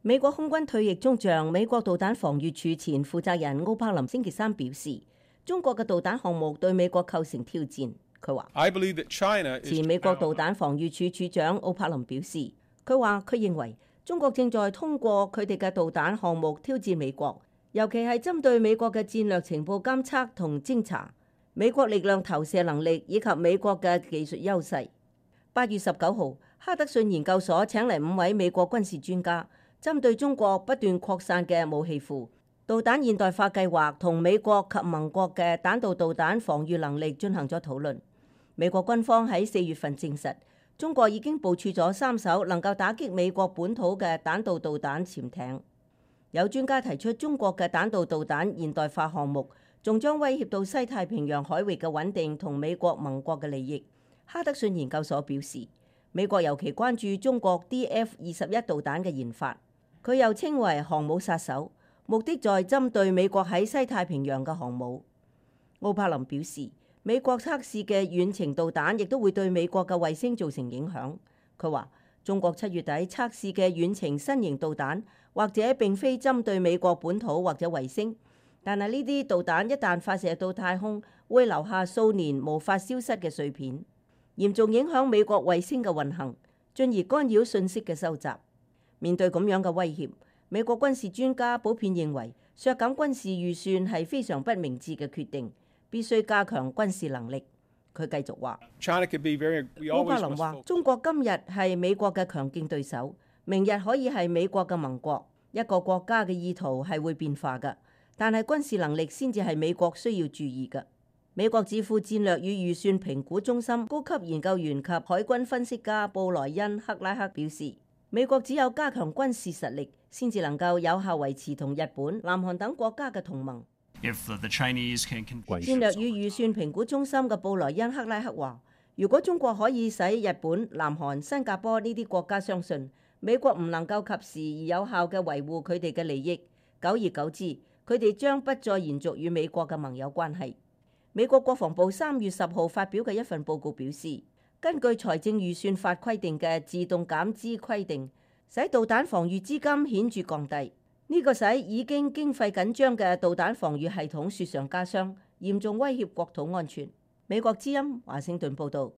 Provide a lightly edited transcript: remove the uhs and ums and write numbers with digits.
美國空軍退役中將、美國導彈防禦處前負責人奧柏林星期三表示，中國嘅導彈項目對美國構成挑戰。佢話：前美國導彈防禦處處長奧柏林表示，佢認為中國正在通過佢哋嘅導彈項目挑戰美國，尤其係針對美國嘅戰略情報監測同偵查、美國力量投射能力以及美國嘅技術優勢。8月19號，哈德遜研究所請嚟5位美國軍事專家，針對中國不斷擴散嘅武器庫、導彈現代化計劃同美國及盟國嘅彈道導彈防禦能力進行咗討論。美國軍方喺4月份證實，中國已經部署咗3艘能夠打擊美國本土嘅彈道導彈潛艇。有專家提出，中國嘅彈道導彈現代化項目仲將威脅到西太平洋海域嘅穩定同美國盟國嘅利益。哈德遜研究所表示，美國尤其關注中國 DF-21導彈嘅研發，佢又稱為航母殺手，目的在針對美國喺西太平洋嘅航母。奧柏林表示，美國測試嘅遠程導彈亦都會對美國嘅衛星造成影響。佢話，中國7月底測試嘅遠程新型導彈，或者並非針對美國本土或者衛星，但係呢啲導彈一旦發射到太空，會留下數年無法消失嘅碎片，嚴重影響美國衛星嘅運行，進而干擾信息嘅收集。面對咁樣嘅威脅，美國軍事專家普遍認為削減軍事預算係非常不明智嘅決定，必須加強軍事能力。佢繼續話：奧柏林話，中國今日係美國嘅強勁對手，明日可以係美國嘅盟國。一個國家嘅意圖係會變化嘅，但係軍事能力先至係美國需要注意嘅。美國智庫戰略與預算評估中心高級研究員及海軍分析家布萊恩·克拉克表示，美國只有加強軍事實力，先至能夠有效維持同日本、南韓等國家嘅同盟。戰略與預算評估中心嘅布萊恩·克拉克話，如果中國可以使日本、南韓、新加坡呢啲國家相信美國唔能夠及時而有效嘅維護佢哋嘅利益，久而久之，佢哋將不再延續與美國嘅盟友關係。美國國防部3月10號發表嘅一份報告表示，根據財政預算法規定嘅自動減資規定，使導彈防禦資金顯著降低，呢個使已經經費緊張嘅導彈防禦系統雪上加霜，嚴重威脅國土安全。美國之音華盛頓報導。